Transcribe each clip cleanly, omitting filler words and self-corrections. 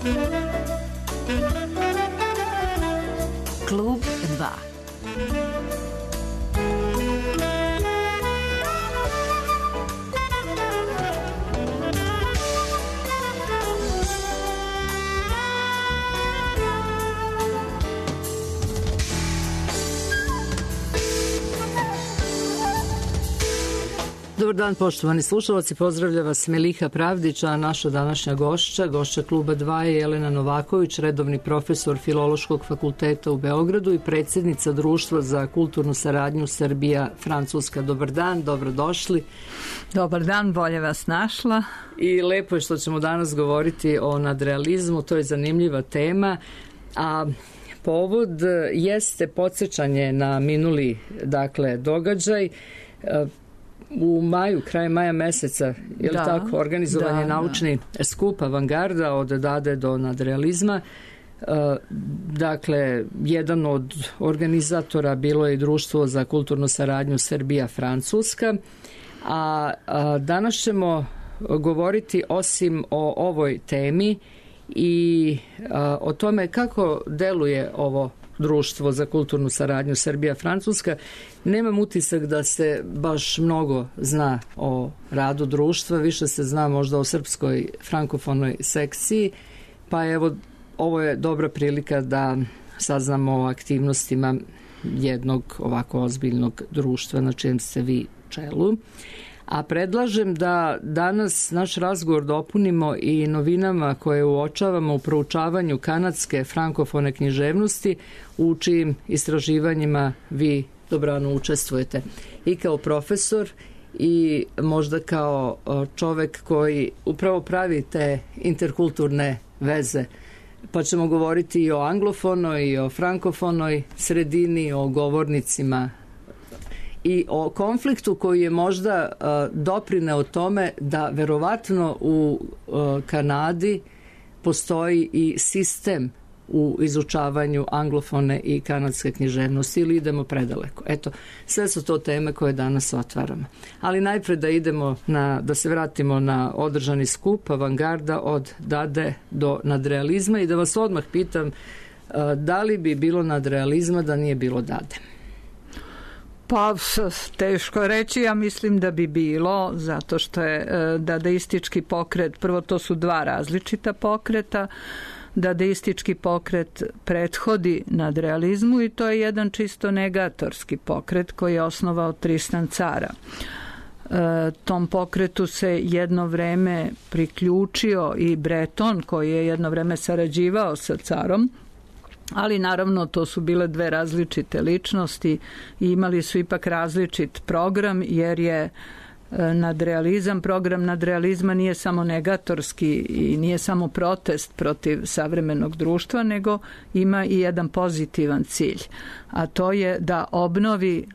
Klub 2. Dobar dan, poštovani slušalci, pozdravlja vas Meliha Pravdić, a naša današnja gošća Kluba 2 je Jelena Novaković, redovni profesor Filološkog fakulteta u Beogradu i predsjednica Društva za kulturnu saradnju Srbija-Francuska. Dobar dan, dobrodošli. Dobar dan, bolje vas našla. I lepo je što ćemo danas govoriti o nadrealizmu, to je zanimljiva tema, a povod jeste podsjećanje na minuli događaj. U maju, kraj maja meseca, je li tako, organizovan je naučni skup Avangarda od Dade do nadrealizma. Dakle, jedan od organizatora bilo je Društvo za kulturnu saradnju Srbija-Francuska, a danas ćemo govoriti osim o ovoj temi i o tome kako deluje ovo Društvo za kulturnu saradnju Srbija-Francuska. Nemam utisak da se baš mnogo zna o radu društva, više se zna možda o srpskoj frankofonoj sekciji, pa evo, ovo je dobra prilika da saznamo o aktivnostima jednog ovako ozbiljnog društva na čijem ste vi čelu. A predlažem da danas naš razgovor dopunimo i novinama koje uočavamo u proučavanju kanadske frankofone književnosti, u čijim istraživanjima vi dobrano učestvujete. I kao profesor i možda kao čovek koji upravo pravi te interkulturne veze. Pa ćemo govoriti i o anglofonoj i o frankofonoj sredini, o govornicima i o konfliktu koji je možda doprineo tome da verovatno u Kanadi postoji i sistem u izučavanju anglofone i kanadske književnosti, ili idemo predaleko. Eto, sve su to teme koje danas otvaramo. Ali najpre da se vratimo na održani skup Avangarda od Dade do nadrealizma i da vas odmah pitam da li bi bilo nadrealizma da nije bilo Dade? Pa, teško reći, ja mislim da bi bilo, zato što je dadaistički pokret, prvo to su dva različita pokreta, dadaistički pokret prethodi nadrealizmu i to je jedan čisto negatorski pokret koji je osnovao Tristan Tzara. Tom pokretu se jedno vreme priključio i Breton, koji je jedno vreme sarađivao sa Carom, ali naravno to su bile dve različite ličnosti i imali su ipak različit program, jer je program nadrealizma nije samo negatorski i nije samo protest protiv savremenog društva, nego ima i jedan pozitivan cilj, a to je da obnovi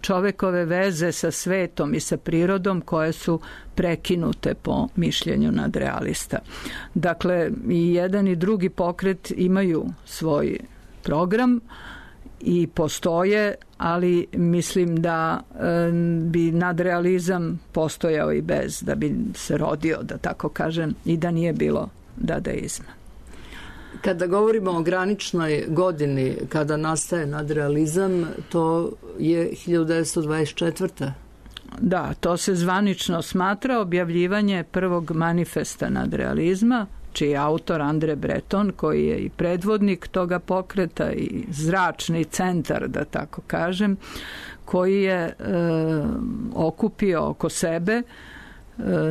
čovekove veze sa svetom i sa prirodom koje su prekinute po mišljenju nadrealista. Dakle, i jedan i drugi pokret imaju svoj program i postoje, ali mislim da bi nadrealizam postojao i bez, da bi se rodio, da tako kažem, i da nije bilo dadaizma. Kada govorimo o graničnoj godini kada nastaje nadrealizam, to je 1924. Da, to se zvanično smatra objavljivanje prvog manifesta nadrealizma, čiji je autor Andre Breton, koji je i predvodnik toga pokreta i zračni centar, da tako kažem, koji je okupio oko sebe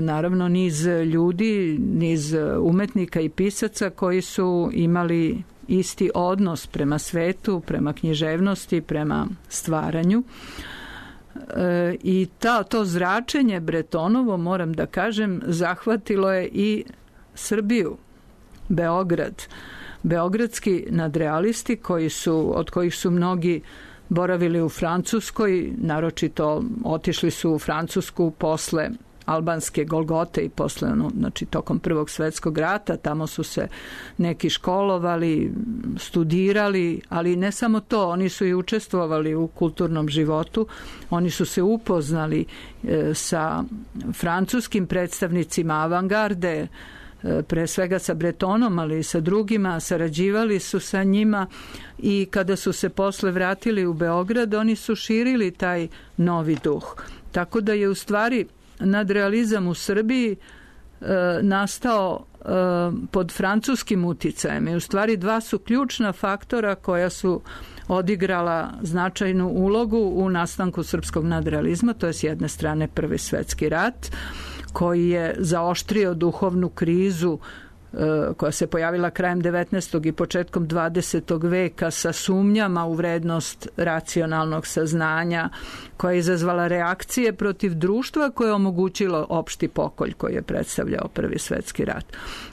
naravno niz ljudi, niz umetnika i pisaca koji su imali isti odnos prema svetu, prema književnosti, prema stvaranju. I to zračenje Bretonovo, moram da kažem, zahvatilo je i Srbiju, Beograd. Beogradski nadrealisti od kojih su mnogi boravili u Francuskoj, naročito otišli su u Francusku posle albanske Golgote i posle, znači tokom Prvog svjetskog rata, tamo su se neki školovali, studirali, ali ne samo to, oni su i učestvovali u kulturnom životu, oni su se upoznali sa francuskim predstavnicima avangarde, pre svega sa Bretonom, ali i sa drugima, sarađivali su sa njima i kada su se posle vratili u Beograd, oni su širili taj novi duh. Tako da je u stvari nadrealizam u Srbiji nastao pod francuskim uticajem. I u stvari dva su ključna faktora koja su odigrala značajnu ulogu u nastanku srpskog nadrealizma. To je s jedne strane Prvi svetski rat, koji je zaoštrio duhovnu krizu koja se pojavila krajem 19. i početkom 20. veka sa sumnjama u vrednost racionalnog saznanja, koja je izazvala reakcije protiv društva koje je omogućilo opšti pokolj koji je predstavljao Prvi svetski rat.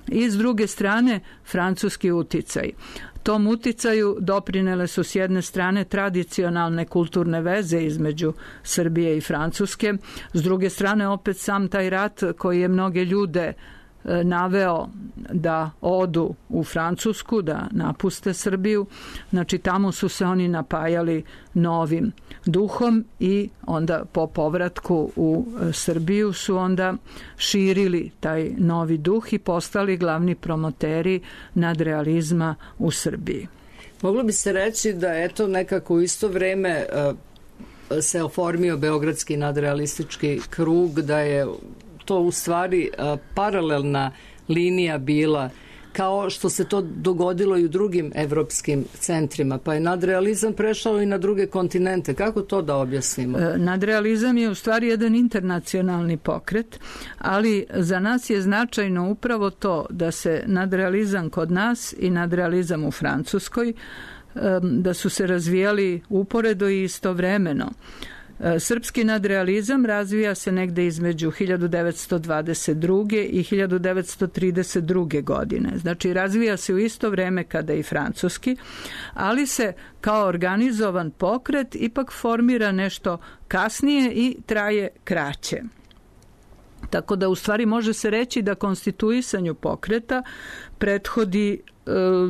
I s druge strane francuski uticaj. Tom uticaju doprinele su s jedne strane tradicionalne kulturne veze između Srbije i Francuske, s druge strane opet sam taj rat koji je mnoge ljude naveo da odu u Francusku, da napuste Srbiju. Znači tamo su se oni napajali novim duhom i onda po povratku u Srbiju su onda širili taj novi duh i postali glavni promoteri nadrealizma u Srbiji. Moglo bi se reći da eto nekako u isto vreme se oformio Beogradski nadrealistički krug, da je to u stvari paralelna linija bila, kao što se to dogodilo i u drugim evropskim centrima, pa je nadrealizam prešao i na druge kontinente. Kako to da objasnimo? Nadrealizam je u stvari jedan internacionalni pokret, ali za nas je značajno upravo to da se nadrealizam kod nas i nadrealizam u Francuskoj, da su se razvijali uporedo i istovremeno. Srpski nadrealizam razvija se negde između 1922. i 1932. godine. Znači, razvija se u isto vreme kada i francuski, ali se kao organizovan pokret ipak formira nešto kasnije i traje kraće. Tako da u stvari može se reći da konstituisanju pokreta prethodi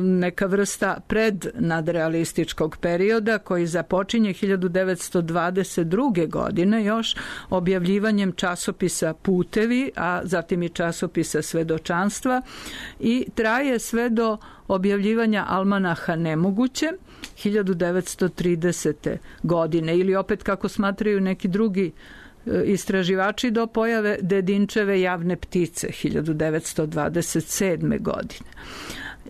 neka vrsta prednadrealističkog perioda koji započinje 1922. godine još objavljivanjem časopisa Putevi, a zatim i časopisa Svedočanstva i traje sve do objavljivanja Almanaha Nemoguće 1930. godine ili opet kako smatraju neki drugi istraživači do pojave Dedinčeve Javne ptice 1927. godine.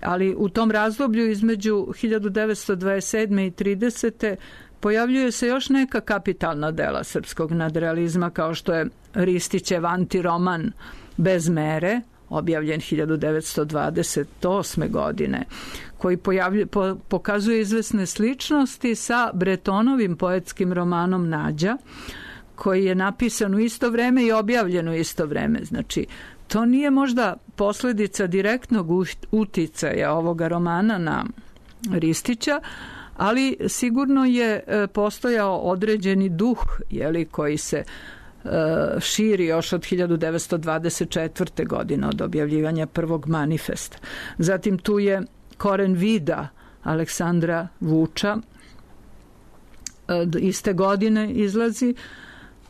Ali u tom razdoblju između 1927. i 30. pojavljuje se još neka kapitalna dela srpskog nadrealizma, kao što je Ristićev antiroman Bez mere, objavljen 1928. godine, koji pokazuje izvesne sličnosti sa Bretonovim poetskim romanom Nađa, koji je napisan u isto vreme i objavljen u isto vreme. Znači, to nije možda posljedica direktnog uticaja ovoga romana na Ristića, ali sigurno je postojao određeni duh koji se širi još od 1924. godine od objavljivanja prvog manifesta. Zatim tu je Koren vida Aleksandra Vuča, iste godine izlazi,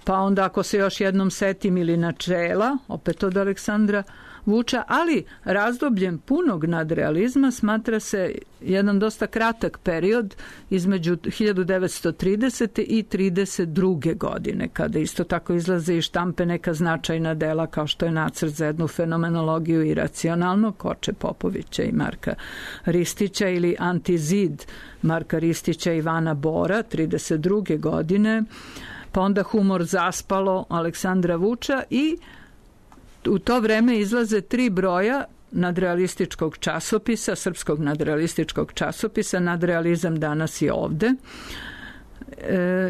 pa onda ako se još jednom setim ili Načela, opet od Aleksandra Vuča, ali razdobljem punog nadrealizma smatra se jedan dosta kratak period između 1930. i 32. godine, kada isto tako izlaze i štampe neka značajna dela kao što je Nacrt za jednu fenomenologiju iracionalno Koče Popovića i Marka Ristića ili Antizid Marka Ristića i Ivana Bora 32. godine, pa onda Humor zaspalo Aleksandra Vuča i u to vreme izlaze 3 broja nadrealističkog časopisa, srpskog nadrealističkog časopisa, Nadrealizam danas i ovde.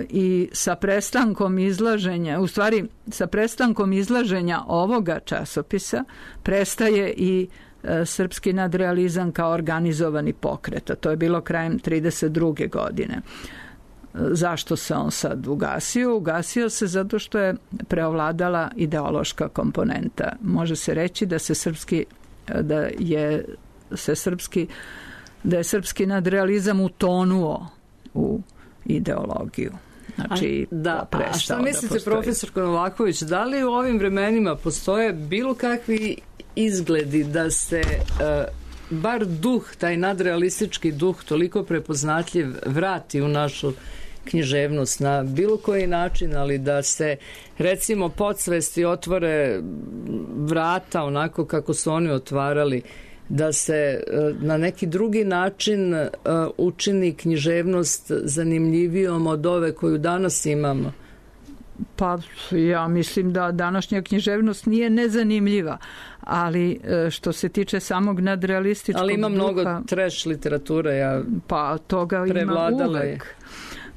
I sa prestankom izlaženja, u stvari sa prestankom izlaženja ovoga časopisa prestaje i srpski nadrealizam kao organizovani pokret, a to je bilo krajem 32. godine. Zašto se on sad ugasio? Ugasio se zato što je preovladala ideološka komponenta. Može se reći da je srpski nadrealizam utonuo u ideologiju. Znači, a šta mislite, profesor Novaković, da li u ovim vremenima postoje bilo kakvi izgledi da se bar duh, taj nadrealistički duh, toliko prepoznatljiv, vrati u našu književnost na bilo koji način, ali da se recimo podsvesti otvore vrata onako kako su oni otvarali, da se na neki drugi način učini književnost zanimljivijom od ove koju danas imamo? Pa ja mislim da današnja književnost nije nezanimljiva, ali što se tiče samog nadrealističkog duha... Ali ima mnogo trash literature, pa toga ima uvek.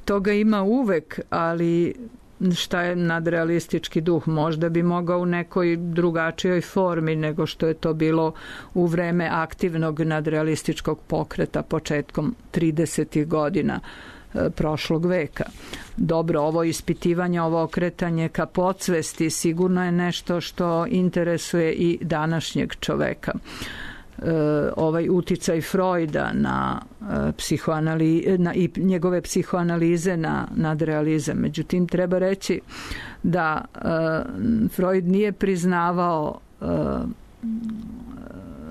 Toga ima uvek, ali šta je nadrealistički duh? Možda bi mogao u nekoj drugačijoj formi nego što je to bilo u vreme aktivnog nadrealističkog pokreta početkom 30. godina prošlog veka. Dobro, ovo ispitivanje, ovo okretanje ka podsvesti sigurno je nešto što interesuje i današnjeg čoveka. Ovaj uticaj Freuda na i njegove psihoanalize na nadrealizam. Međutim, treba reći da Freud nije priznavao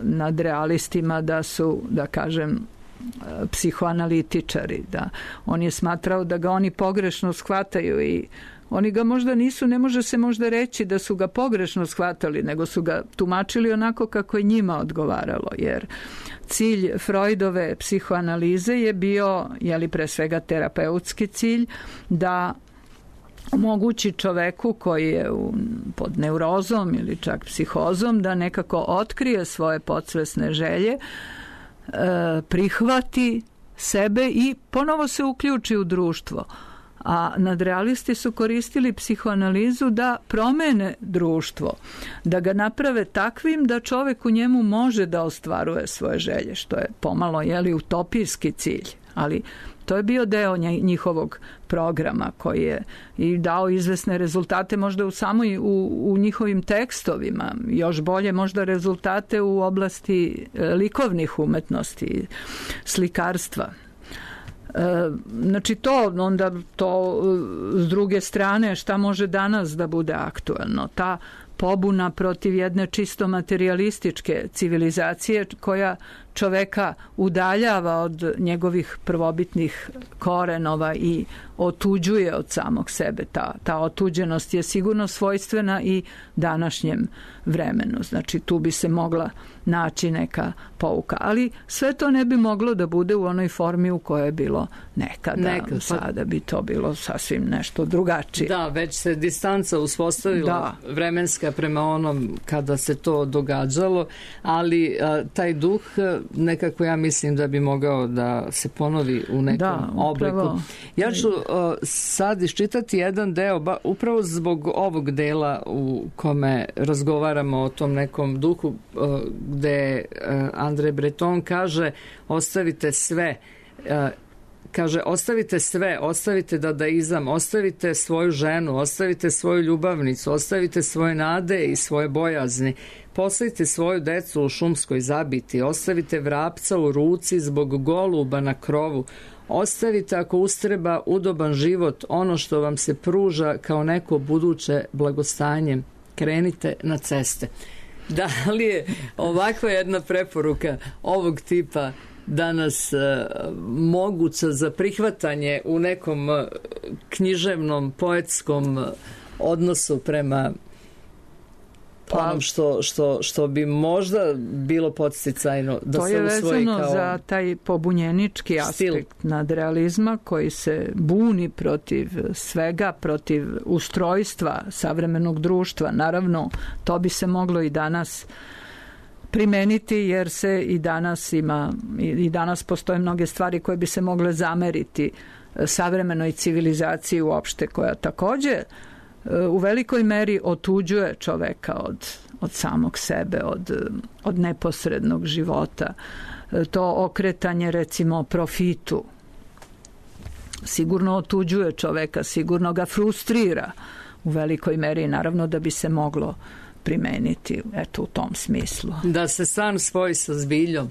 nadrealistima da su, da kažem, psihoanalitičari, da on je smatrao da ga oni pogrešno shvataju i oni ga možda nisu, ne može se možda reći da su ga pogrešno shvatali, nego su ga tumačili onako kako je njima odgovaralo, jer cilj Freudove psihoanalize je bio, pre svega terapeutski cilj, da omogući čoveku koji je pod neurozom ili čak psihozom da nekako otkrije svoje podsvesne želje, prihvati sebe i ponovo se uključi u društvo. A nadrealisti su koristili psihoanalizu da promene društvo, da ga naprave takvim da čovek u njemu može da ostvaruje svoje želje, što je pomalo utopijski cilj, ali to je bio deo njihovog programa koji je i dao izvesne rezultate možda u njihovim tekstovima, još bolje možda rezultate u oblasti likovnih umetnosti, slikarstva. Znači to s druge strane šta može danas da bude aktuelno? Ta pobuna protiv jedne čisto materijalističke civilizacije koja čoveka udaljava od njegovih prvobitnih korenova i otuđuje od samog sebe. Ta otuđenost je sigurno svojstvena i današnjem vremenu. Znači tu bi se mogla naći neka pouka. Ali sve to ne bi moglo da bude u onoj formi u kojoj je bilo nekada. Sada bi to bilo sasvim nešto drugačije. Da, već se distanca uspostavila vremenska prema onom kada se to događalo, ali taj duh nekako ja mislim da bi mogao da se ponovi u nekom obliku. Ja ću sad iščitati jedan deo, upravo zbog ovog dela u kome razgovaramo o tom nekom duhu, gde André Breton kaže ostavite sve, ostavite dadaizam, ostavite svoju ženu, ostavite svoju ljubavnicu, ostavite svoje nade i svoje bojazni, postavite svoju decu u šumskoj zabiti, ostavite vrapca u ruci zbog goluba na krovu, ostavite ako ustreba udoban život, ono što vam se pruža kao neko buduće blagostanje, krenite na ceste. Da li je ovakva jedna preporuka ovog tipa danas moguća za prihvatanje u nekom književnom, poetskom odnosu prema onom što bi možda bilo podsticajno da se usvoji kao to je vezano za taj pobunjenički aspekt nadrealizma koji se buni protiv svega, protiv ustrojstva savremenog društva. Naravno, to bi se moglo i danas primeniti jer se i danas postoje mnoge stvari koje bi se mogle zameriti savremenoj civilizaciji uopšte, koja također u velikoj meri otuđuje čoveka od samog sebe, od neposrednog života. To okretanje recimo profitu sigurno otuđuje čoveka, sigurno ga frustrira u velikoj meri, naravno da bi se moglo primeniti u tom smislu. Da se san spoji sa zbiljom.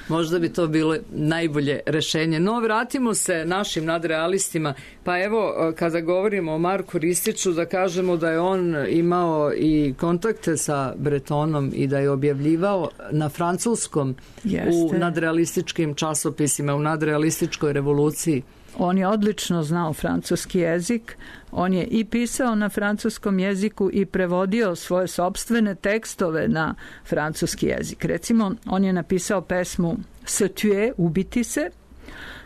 Možda bi to bilo najbolje rešenje. No, vratimo se našim nadrealistima. Pa evo, kada govorimo o Marku Ristiću, da kažemo da je on imao i kontakte sa Bretonom i da je objavljivao na francuskom u nadrealističkim časopisima, u nadrealističkoj revoluciji. On je odlično znao francuski jezik, on je i pisao na francuskom jeziku i prevodio svoje sopstvene tekstove na francuski jezik. Recimo, on je napisao pesmu Se tuer, ubiti se,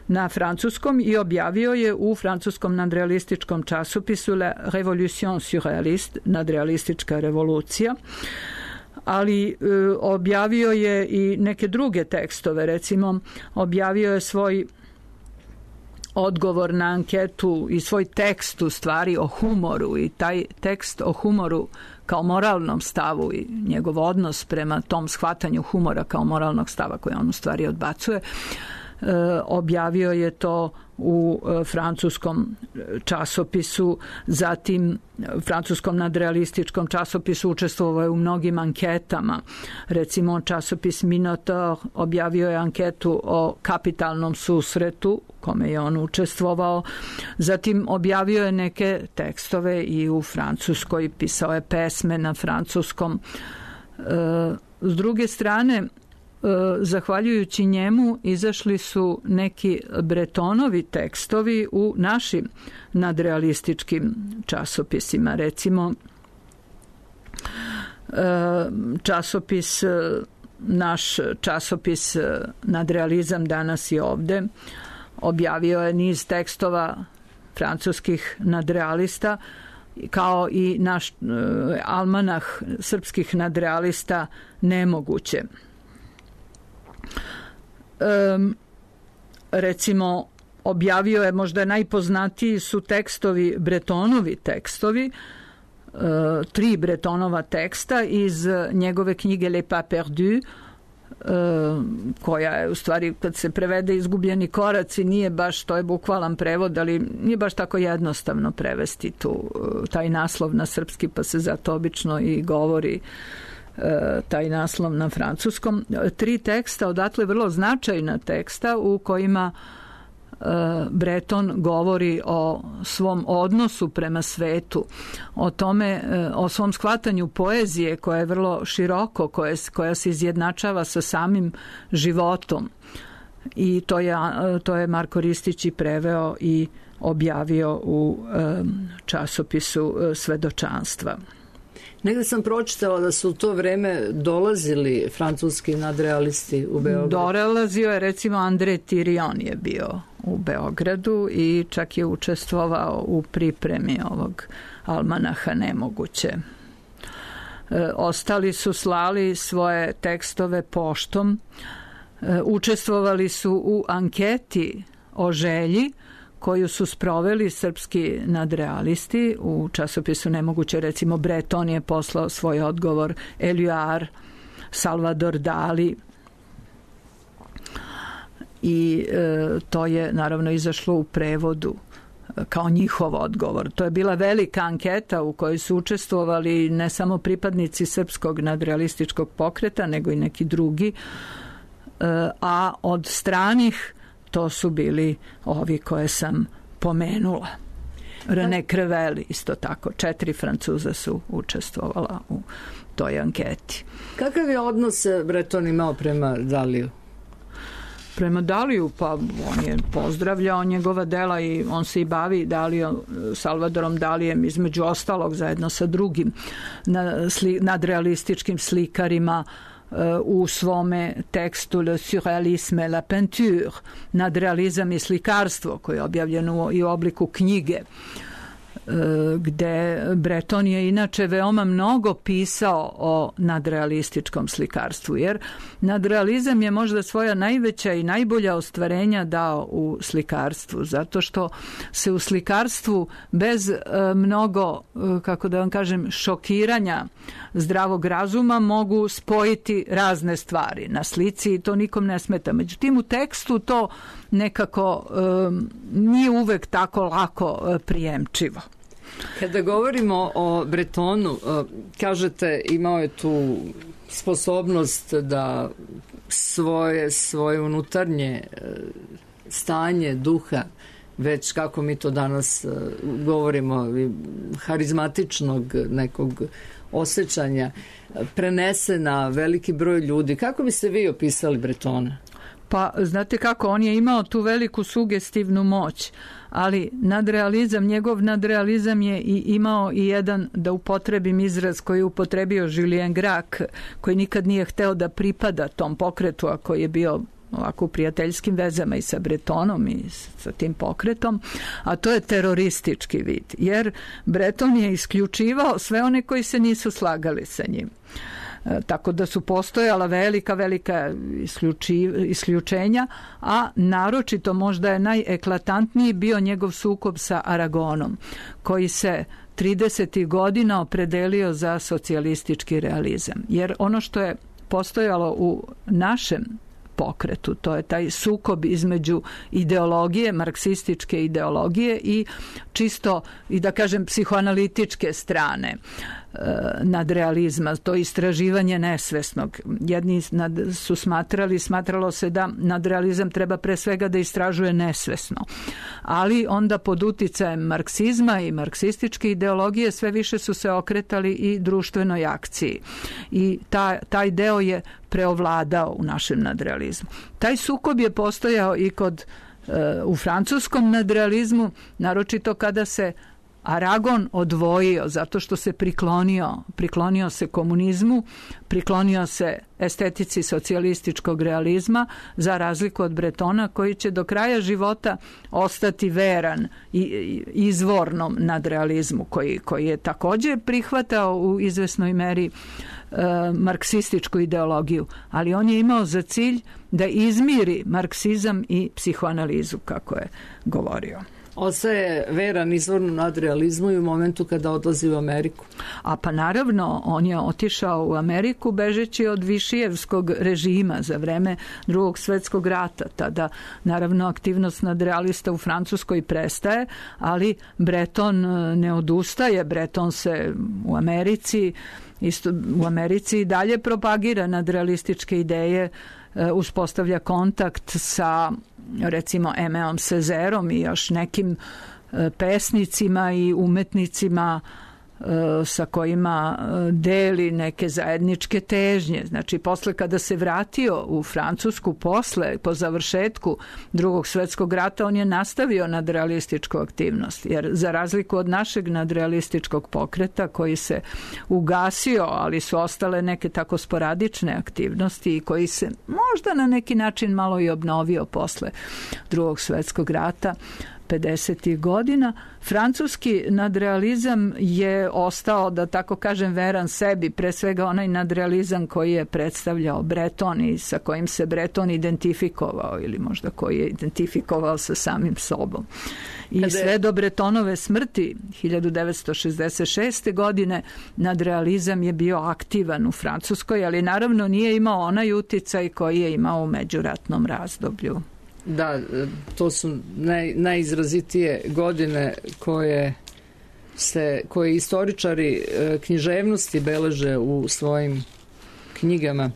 na francuskom i objavio je u francuskom nadrealističkom časopisu La Révolution surréaliste, nadrealistička revolucija, ali objavio je i neke druge tekstove. Recimo, objavio je svoj odgovor na anketu i svoj tekst u stvari o humoru, i taj tekst o humoru kao moralnom stavu i njegov odnos prema tom shvatanju humora kao moralnog stava koji on u stvari odbacuje, objavio je to u francuskom časopisu, zatim francuskom nadrealističkom časopisu učestvovao je u mnogim anketama. Recimo, časopis Minotaur objavio je anketu o kapitalnom susretu kome je on učestvovao. Zatim objavio je neke tekstove i u Francuskoj, pisao je pesme na francuskom. S druge strane, zahvaljujući njemu izašli su neki Bretonovi tekstovi u našim nadrealističkim časopisima. Recimo, naš časopis Nadrealizam danas i ovde objavio je niz tekstova francuskih nadrealista, kao i naš almanah srpskih nadrealista Nemoguće. Recimo, objavio je, možda najpoznatiji su tekstovi, Bretonovi tekstovi, 3 Bretonova teksta iz njegove knjige Les Pas Perdus, koja je u stvari, kad se prevede Izgubljeni koraci, nije baš, to je bukvalan prevod, ali nije baš tako jednostavno prevesti taj naslov na srpski, pa se zato obično i govori taj naslov na francuskom. 3 teksta, odatle vrlo značajna teksta u kojima Breton govori o svom odnosu prema svetu, o tome, o svom shvatanju poezije koja je vrlo široko, koja se izjednačava sa samim životom. I to je Marko Ristić i preveo i objavio u časopisu Svedočanstva. Negde sam pročitala da su u to vreme dolazili francuski nadrealisti u Beograd. Dolazio je, recimo, André Thirion je bio u Beogradu i čak je učestvovao u pripremi ovog almanaha Nemoguće. Ostali su slali svoje tekstove poštom, učestvovali su u anketi o želji koju su sproveli srpski nadrealisti u časopisu Nemoguće. Recimo, Breton je poslao svoj odgovor, Éluard, Salvador Dali, i to je naravno izašlo u prevodu kao njihov odgovor. To je bila velika anketa u kojoj su učestvovali ne samo pripadnici srpskog nadrealističkog pokreta, nego i neki drugi, a od stranih to su bili ovi koje sam pomenula. René Crevel isto tako. 4 Francuza su učestvovala u toj anketi. Kakav je odnos Breton imao prema Daliju? Prema Daliju, pa on je pozdravljao njegova dela i on se i bavi Salvadorom Dalijem, između ostalog zajedno sa drugim nadrealističkim slikarima, u svome tekstu Le surrealisme et la peinture, nadrealizam i slikarstvo, koje je objavljeno i u obliku knjige, gde Breton je inače veoma mnogo pisao o nadrealističkom slikarstvu, jer nadrealizam je možda svoja najveća i najbolja ostvarenja dao u slikarstvu, zato što se u slikarstvu bez mnogo, kako da vam kažem, šokiranja zdravog razuma mogu spojiti razne stvari na slici i to nikom ne smeta. Međutim, u tekstu to nekako nije uvek tako lako prijemčivo. Kada govorimo o Bretonu, kažete imao je tu sposobnost da svoje unutarnje stanje duha, već kako mi to danas govorimo, harizmatičnog nekog osjećanja, prenese na veliki broj ljudi. Kako biste vi opisali Bretona? Pa, znate kako, on je imao tu veliku sugestivnu moć, ali njegov nadrealizam je imao i jedan, da upotrebim izraz koji je upotrebio Julien Gracq, koji nikad nije hteo da pripada tom pokretu, a koji je bio ovako u prijateljskim vezama i sa Bretonom i sa tim pokretom, a to je teroristički vid, jer Breton je isključivao sve one koji se nisu slagali sa njim. Tako da su postojala velika isključenja, a naročito možda je najeklatantniji bio njegov sukob sa Aragonom, koji se 30. godina opredelio za socijalistički realizam. Jer ono što je postojalo u našem pokretu, to je taj sukob između ideologije, marksističke ideologije i čisto, i da kažem, psihoanalitičke strane nadrealizma, to istraživanje nesvesnog. Jedni su smatralo se da nadrealizam treba pre svega da istražuje nesvesno. Ali onda pod uticajem marksizma i marksističke ideologije sve više su se okretali i društvenoj akciji. I taj deo je preovladao u našem nadrealizmu. Taj sukob je postojao i u francuskom nadrealizmu, naročito kada se Aragon odvojio zato što se priklonio se komunizmu, priklonio se estetici socijalističkog realizma, za razliku od Bretona koji će do kraja života ostati veran izvornom nadrealizmu koji je također prihvatao u izvesnoj meri marksističku ideologiju, ali on je imao za cilj da izmiri marksizam i psihoanalizu, kako je govorio. Ostaje veran izvornom nadrealizmu i u momentu kada odlazi u Ameriku. A pa naravno, on je otišao u Ameriku bežeći od Višijevskog režima za vreme Drugog svjetskog rata. Tada naravno aktivnost nadrealista u Francuskoj prestaje, ali Breton ne odustaje. Breton se u Americi i dalje propagira nadrealističke ideje, uspostavlja kontakt sa recimo Aiméom Cézairom i još nekim pesnicima i umetnicima sa kojima deli neke zajedničke težnje. Znači, posle kada se vratio u Francusku, po završetku Drugog svjetskog rata, on je nastavio nadrealističku aktivnost, jer za razliku od našeg nadrealističkog pokreta koji se ugasio, ali su ostale neke tako sporadične aktivnosti i koji se možda na neki način malo i obnovio posle Drugog svjetskog rata 50. godina, francuski nadrealizam je ostao, da tako kažem, veran sebi, pre svega onaj nadrealizam koji je predstavljao Breton i sa kojim se Breton identifikovao ili možda koji je identifikovao sa samim sobom. I sve do Bretonove smrti 1966. godine nadrealizam je bio aktivan u Francuskoj, ali naravno nije imao onaj uticaj koji je imao u međuratnom razdoblju. Da, to su najizrazitije godine koje istoričari književnosti beleže u svojim knjigama.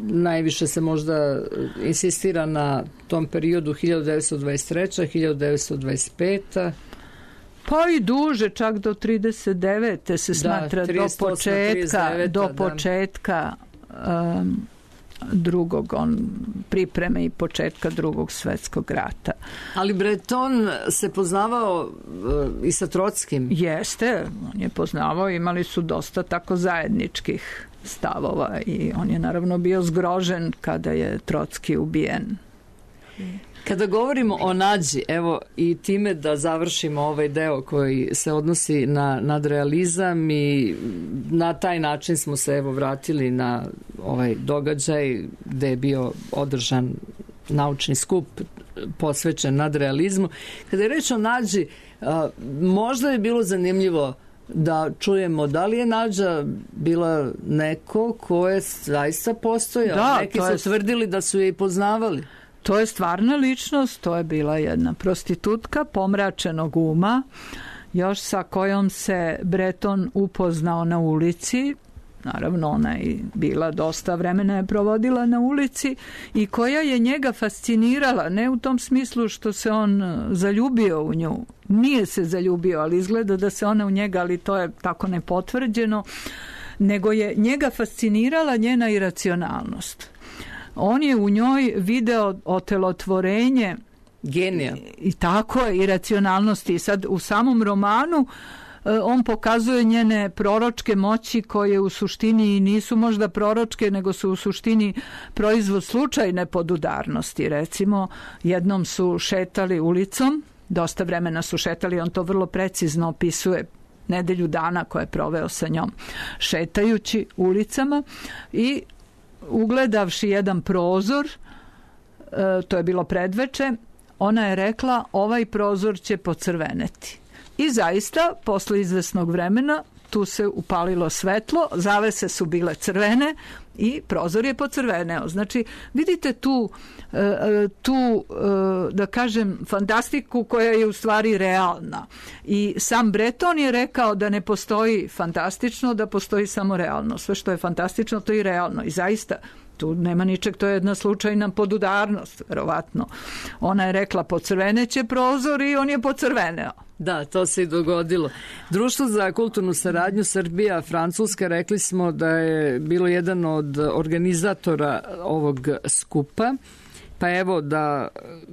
Najviše se možda insistira na tom periodu 1923. 1925. Pa i duže, čak do 39. se smatra do početka pripreme i početka Drugog svjetskog rata. Ali Breton se poznavao i sa Trotskim. Jeste, on je poznavao, imali su dosta tako zajedničkih stavova i on je naravno bio zgrožen kada je Trotski ubijen. Kada govorimo o nađi, evo i time da završimo ovaj deo koji se odnosi na nadrealizam i na taj način smo se evo vratili na ovaj događaj gde je bio održan naučni skup posvećen nadrealizmu. Kada je reč o nađi, možda je bilo zanimljivo da čujemo da li je nađa bila neko ko je zaista postojao. Neki su tvrdili da su je i poznavali. To je stvarna ličnost, to je bila jedna prostitutka pomračenog uma, još sa kojom se Breton upoznao na ulici. Naravno, ona je bila dosta vremena je provodila na ulici i koja je njega fascinirala, ne u tom smislu što se on zaljubio u nju. Nije se zaljubio, ali izgleda da se ona u njega, ali to je tako nepotvrđeno, nego je njega fascinirala njena iracionalnost. On je u njoj video otelotvorenje genija. I tako je, iracionalnosti. I sad u samom romanu on pokazuje njene proročke moći koje u suštini nisu možda proročke, nego su u suštini proizvod slučajne podudarnosti. Recimo, jednom su šetali ulicom, dosta vremena su šetali, on to vrlo precizno opisuje, nedelju dana koje je proveo sa njom, šetajući ulicama i ugledavši jedan prozor, to je bilo predveče, ona je rekla, ovaj prozor će pocrveneti. I zaista, posle izvesnog vremena, tu se upalilo svetlo, zavese su bile crvene i prozor je pocrveneo. Znači, vidite tu, da kažem, fantastiku koja je u stvari realna. I sam Breton je rekao da ne postoji fantastično, da postoji samo realno. Sve što je fantastično, to je i realno. I zaista, tu nema ničeg, to je jedna slučajna podudarnost, verovatno. Ona je rekla, pocrveneće prozor i on je pocrveneo. Da, to se i dogodilo. Društvo za kulturnu saradnju Srbija Francuska, rekli smo da je bilo jedan od organizatora ovog skupa, pa evo da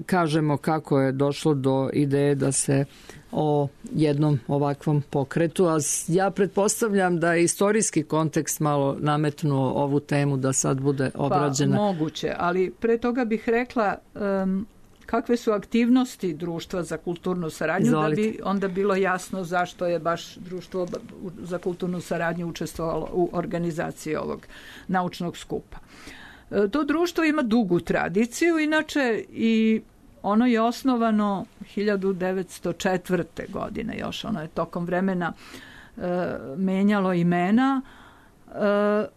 kažemo kako je došlo do ideje da se o jednom ovakvom pokretu, a ja pretpostavljam da je istorijski kontekst malo nametnuo ovu temu da sad bude obrađena. Pa moguće, ali pre toga bih rekla kakve su aktivnosti Društva za kulturnu saradnju, Izvolite. da bi onda bilo jasno zašto je baš Društvo za kulturnu saradnju učestvovalo u organizaciji ovog naučnog skupa. To društvo ima dugu tradiciju, inače i ono je osnovano 1904. godine još, ono je tokom vremena menjalo imena.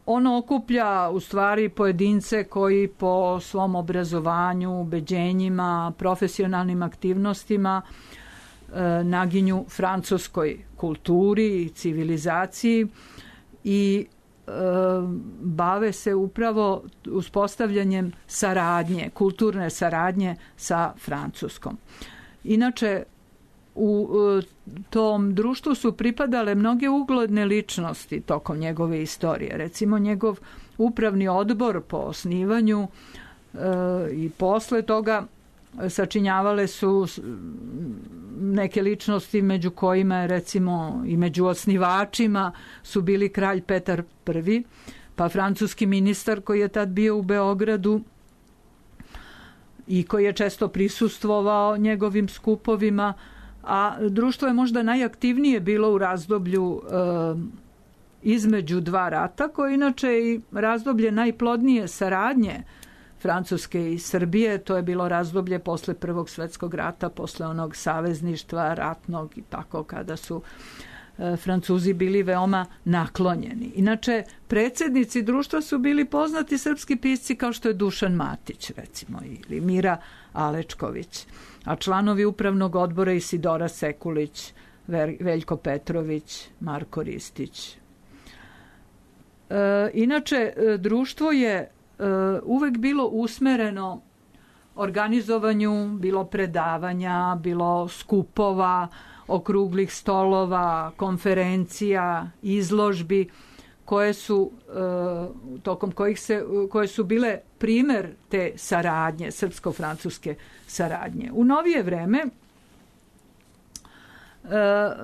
Ono okuplja u stvari pojedince koji po svom obrazovanju, ubeđenjima, profesionalnim aktivnostima naginju francuskoj kulturi i civilizaciji i bave se upravo uspostavljanjem saradnje, kulturne saradnje sa Francuskom. Inače, u tom društvu su pripadale mnoge ugledne ličnosti tokom njegove istorije. Recimo, njegov upravni odbor po osnivanju i posle toga sačinjavale su neke ličnosti među kojima je recimo i među osnivačima su bili kralj Petar I, pa francuski ministar koji je tad bio u Beogradu i koji je često prisustvovao njegovim skupovima, a društvo je možda najaktivnije bilo u razdoblju između dva rata, koje inače i razdoblje najplodnije saradnje Francuske i Srbije. To je bilo razdoblje posle Prvog svetskog rata, posle onog savezništva ratnog i tako, kada su Francuzi bili veoma naklonjeni. Inače, predsjednici društva su bili poznati srpski pisci kao što je Dušan Matić, recimo, ili Mira Alečković, a članovi upravnog odbora Isidora Sekulić, Veljko Petrović, Marko Ristić. Inače, društvo je uvek bilo usmereno organizovanju, bilo predavanja, bilo skupova, okruglih stolova, konferencija, izložbi koje su tokom koje su bile primer te saradnje, srpsko-francuske saradnje. U novije vreme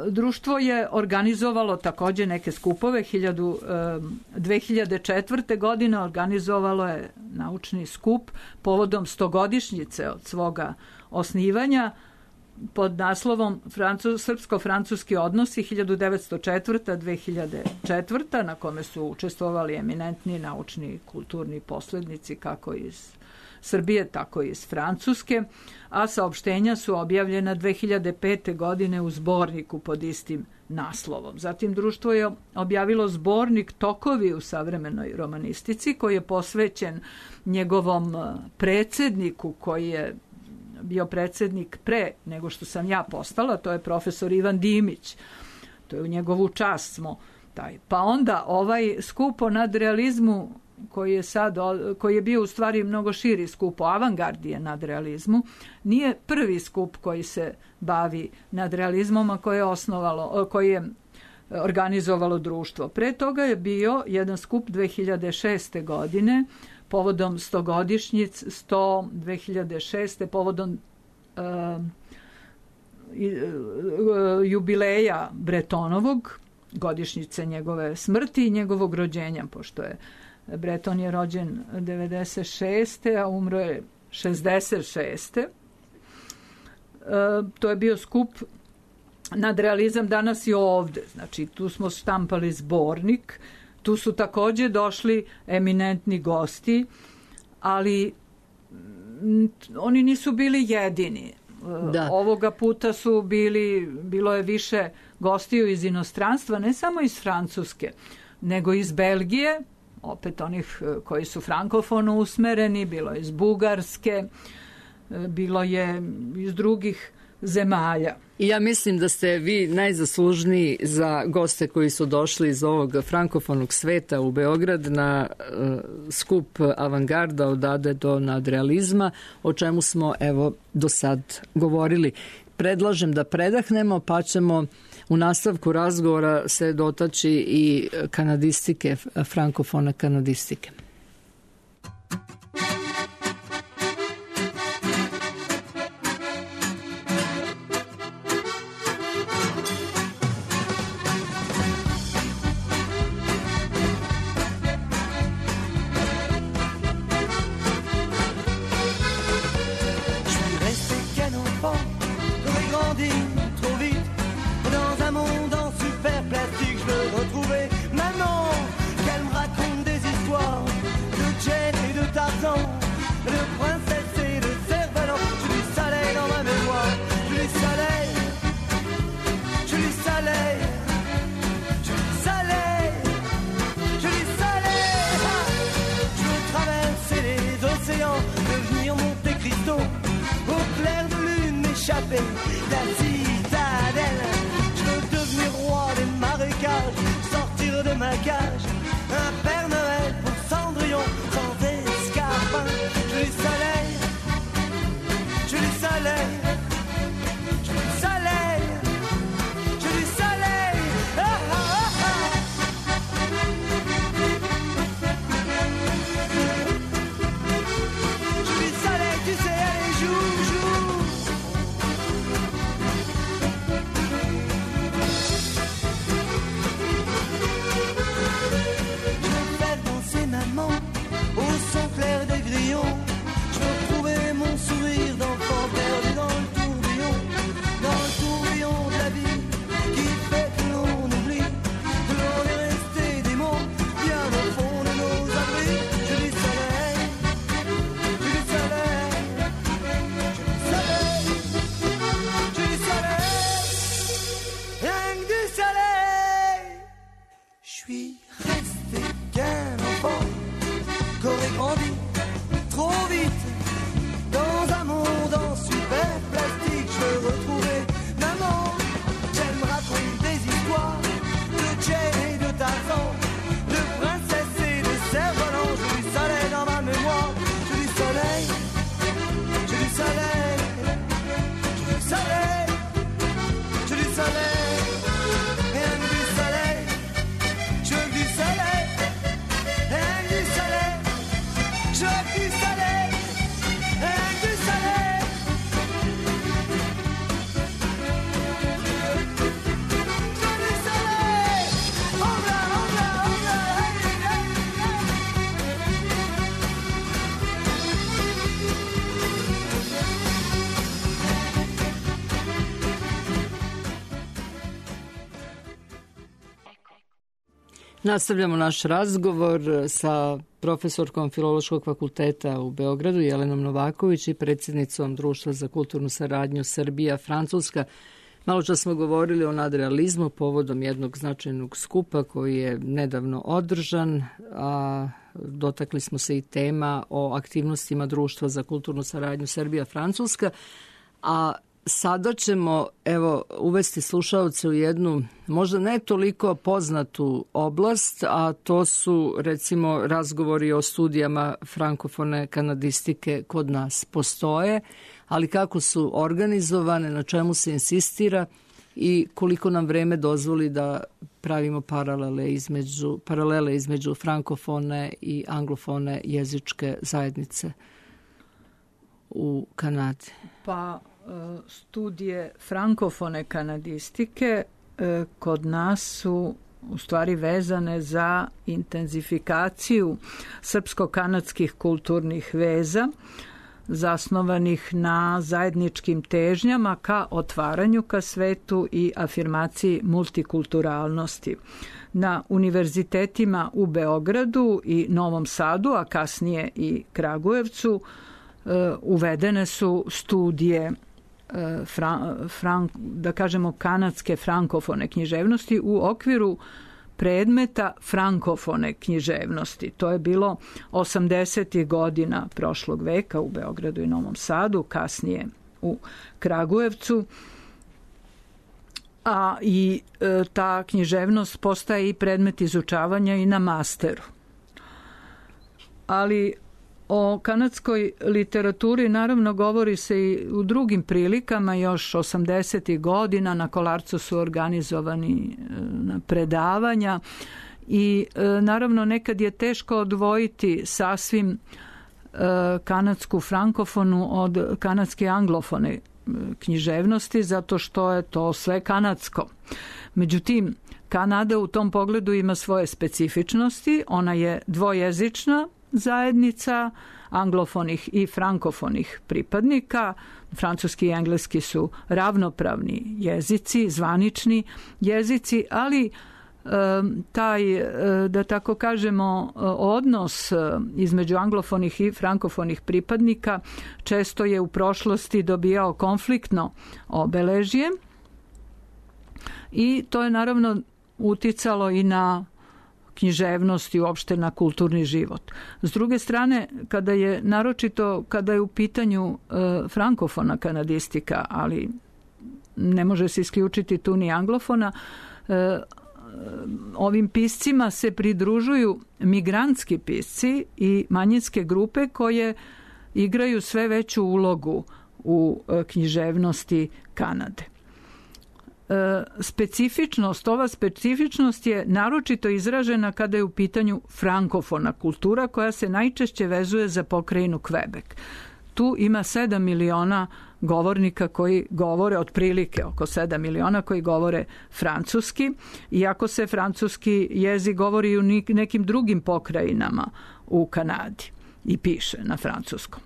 društvo je organizovalo također neke skupove. 2004. godine organizovalo je naučni skup povodom 100-godišnjice od svoga osnivanja pod naslovom Srpsko-francuski odnosi 1904-2004, na kome su učestvovali eminentni naučni i kulturni poslednici kako iz Srbije, tako i iz Francuske, a saopštenja su objavljena 2005. godine u zborniku pod istim naslovom. Zatim društvo je objavilo zbornik Tokovi u savremenoj romanistici, koji je posvećen njegovom predsedniku, koji je bio predsednik pre nego što sam ja postala, to je profesor Ivan Dimić. To je u njegovu čast smo taj. Pa onda ovaj skup o nadrealizmu koji je bio u stvari mnogo širi skup o avangardije nadrealizmu, nije prvi skup koji se bavi nadrealizmom, a koji je organizovalo društvo. Pre toga je bio jedan skup 2006. godine povodom 2006. povodom jubileja Bretonovog, godišnjice njegove smrti i njegovog rođenja, pošto je Breton je rođen 96. a umro je 66. To je bio skup nadrealizam danas i ovde. Znači, tu smo štampali zbornik, tu su takođe došli eminentni gosti, ali oni nisu bili jedini. Da. Ovoga puta bilo je više gostiju iz inostranstva, ne samo iz Francuske, nego iz Belgije, opet onih koji su frankofono usmereni, bilo je iz Bugarske, bilo je iz drugih zemalja. I ja mislim da ste vi najzaslužniji za goste koji su došli iz ovog frankofonog sveta u Beograd na skup avangarda od Ade do nadrealizma, o čemu smo evo do sad govorili. Predlažem da predahnemo, pa ćemo u nastavku razgovora se dotaći i kanadistike, frankofona kanadistike. La citadelle, je veux devenir roi des marécages, sortir de ma cage, un Père Noël pour Cendrillon, sans escarpin. Je veux du soleil, je veux du soleil, je veux du soleil, je veux du soleil. Ah, ah, ah, ah. Je veux du soleil, tu sais, allez, joue, joue. Nastavljamo naš razgovor sa profesorkom Filološkog fakulteta u Beogradu Jelenom Novaković i predsjednicom Društva za kulturnu saradnju Srbija-Francuska. Malo čas smo govorili o nadrealizmu povodom jednog značajnog skupa koji je nedavno održan, a dotakli smo se i tema o aktivnostima Društva za kulturnu saradnju Srbija-Francuska, a sada ćemo uvesti slušaoce u jednu možda ne toliko poznatu oblast, a to su recimo razgovori o studijama frankofone kanadistike kod nas postoje, ali kako su organizovane, na čemu se insistira i koliko nam vreme dozvoli da pravimo paralele između frankofone i anglofone jezičke zajednice u Kanadi. Pa studije frankofone kanadistike kod nas su u stvari vezane za intenzifikaciju srpsko-kanadskih kulturnih veza zasnovanih na zajedničkim težnjama ka otvaranju ka svetu i afirmaciji multikulturalnosti. Na univerzitetima u Beogradu i Novom Sadu, a kasnije i Kragujevcu, uvedene su studije da kažemo kanadske frankofone književnosti u okviru predmeta frankofone književnosti. To je bilo 80. godina prošlog veka u Beogradu i Novom Sadu, kasnije u Kragujevcu. A i ta književnost postaje i predmet izučavanja i na masteru. Ali o kanadskoj literaturi naravno govori se i u drugim prilikama. Još 80. godina na Kolarcu su organizovani predavanja i naravno nekad je teško odvojiti sasvim kanadsku frankofonu od kanadske anglofone književnosti, zato što je to sve kanadsko. Međutim, Kanada u tom pogledu ima svoje specifičnosti. Ona je dvojezična zajednica anglofonih i frankofonih pripadnika. Francuski i engleski su ravnopravni jezici, zvanični jezici, ali taj, da tako kažemo, odnos između anglofonih i frankofonih pripadnika često je u prošlosti dobijao konfliktno obeležje i to je naravno uticalo i na književnost i uopšte na kulturni život. S druge strane, kada je u pitanju frankofona kanadistika, ali ne može se isključiti tu ni anglofona, ovim piscima se pridružuju migrantski pisci i manjinske grupe koje igraju sve veću ulogu u književnosti Kanade. Ova specifičnost je naročito izražena kada je u pitanju frankofona kultura koja se najčešće vezuje za pokrajinu Quebec. Tu ima 7 miliona govornika koji govore, otprilike oko 7 miliona koji govore francuski, iako se francuski jezik govori i u nekim drugim pokrajinama u Kanadi i piše na francuskom.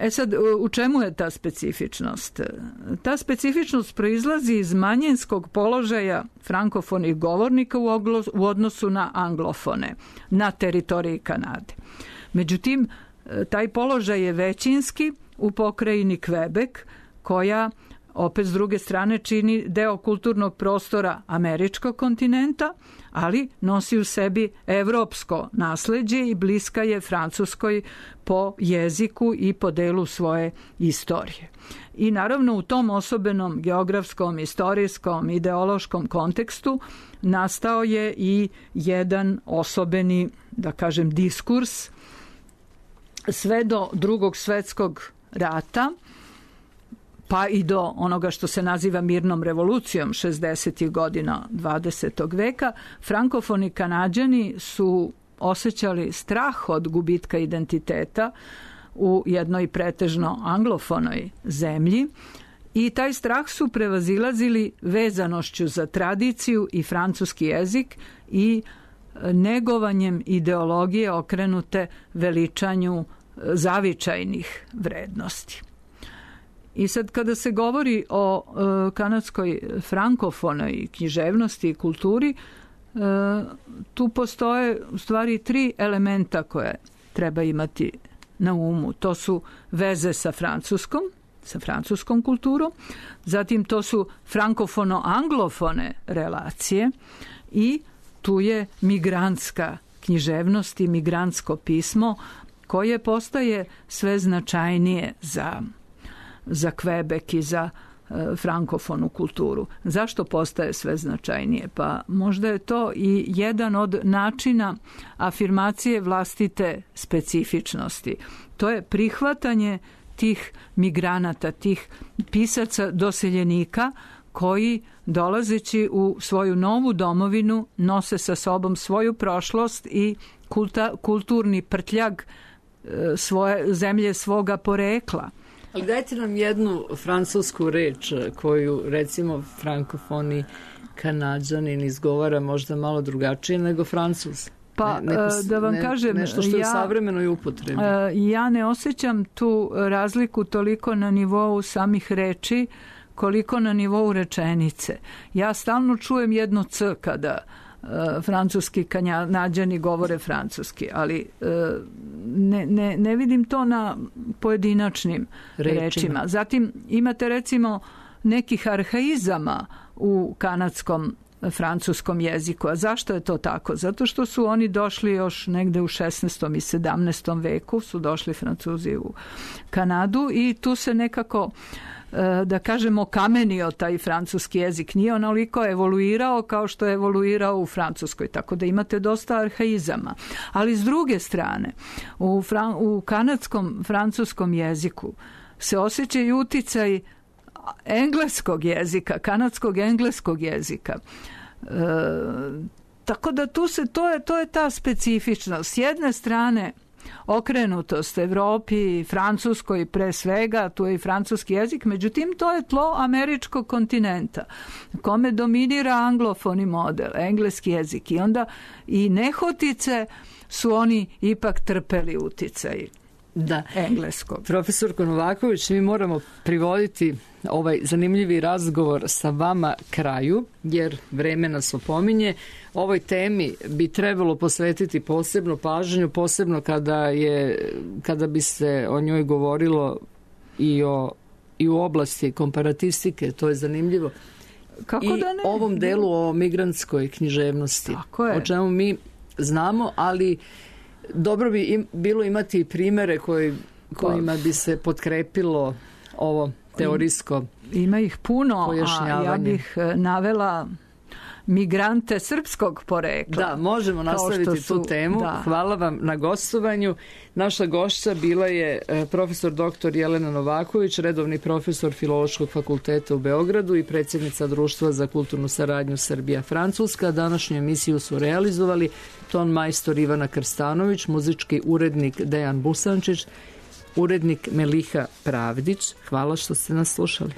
Sad, u čemu je ta specifičnost? Ta specifičnost proizlazi iz manjinskog položaja frankofonih govornika u odnosu na anglofone na teritoriji Kanade. Međutim, taj položaj je većinski u pokrajini Quebec, koja opet s druge strane čini deo kulturnog prostora američkog kontinenta, ali nosi u sebi evropsko nasleđe i bliska je Francuskoj po jeziku i po delu svoje istorije. I naravno u tom osobenom geografskom, istorijskom, ideološkom kontekstu nastao je i jedan osobeni, da kažem, diskurs sve do Drugog svjetskog rata, pa i do onoga što se naziva mirnom revolucijom 60. godina 20. veka, frankofoni Kanađani su osjećali strah od gubitka identiteta u jednoj pretežno anglofonoj zemlji i taj strah su prevazilazili vezanošću za tradiciju i francuski jezik i negovanjem ideologije okrenute veličanju zavičajnih vrednosti. I sad kada se govori o kanadskoj frankofonoj književnosti i kulturi, tu postoje u stvari 3 elementa koje treba imati na umu. To su veze sa francuskom kulturom, zatim to su frankofono-anglofone relacije i tu je migrantska književnost i migrantsko pismo koje postaje sve značajnije za Kvebek i za frankofonu kulturu. Zašto postaje sve značajnije? Pa možda je to i jedan od načina afirmacije vlastite specifičnosti. To je prihvatanje tih migranata, tih pisaca doseljenika koji dolazeći u svoju novu domovinu nose sa sobom svoju prošlost i kulturni prtljag svoje zemlje, svoga porekla. Ali dajte nam jednu francusku reč koju recimo frankofoni Kanađanin izgovara možda malo drugačije nego Francuz. Pa da vam kažem, nešto što je u savremenoj upotrebi. Ja ne osjećam tu razliku toliko na nivou samih reči koliko na nivou rečenice. Ja stalno čujem jedno C kada francuski Kanađani govore francuski, ali ne vidim to na pojedinačnim rečima. Zatim imate recimo nekih arhaizama u kanadskom francuskom jeziku. A zašto je to tako? Zato što su oni došli još negde u 16. i 17. veku, su došli Francuzi u Kanadu i tu se nekako da kažemo kamenio taj francuski jezik. Nije onoliko evoluirao kao što je evoluirao u Francuskoj, tako da imate dosta arhaizama. Ali s druge strane, u kanadskom francuskom jeziku se osjeća i uticaj engleskog jezika, kanadskog engleskog jezika. Tako da to je ta specifičnost. S jedne strane okrenutost Evropi i Francuskoj pre svega, tu je i francuski jezik, međutim to je tlo američkog kontinenta kome dominira anglofoni model, engleski jezik i onda i nehotice su oni ipak trpeli uticaj engleskog. Profesorko Novaković, mi moramo privoditi ovaj zanimljivi razgovor sa vama kraju, jer vreme nas opominje. Ovoj temi bi trebalo posvetiti posebnu pažnju, posebno kada bi se o njoj govorilo i u oblasti komparatistike, to je zanimljivo. Kako i da ne? Ovom delu o migrantskoj književnosti, o čemu mi znamo, ali dobro bi bilo imati primere kojima bi se potkrepilo ovo teorijsko ima ih puno, pojašnjavanje. A ja bih navela migrante srpskog porekla. Da, možemo nastaviti tu temu. Da. Hvala vam na gostovanju. Naša gošća bila je profesor dr. Jelena Novaković, redovni profesor Filološkog fakulteta u Beogradu i predsjednica Društva za kulturnu saradnju Srbija-Francuska. Današnju emisiju su realizovali ton majstor Ivana Krstanović, muzički urednik Dejan Busančić, urednik Meliha Pravdić. Hvala što ste nas slušali.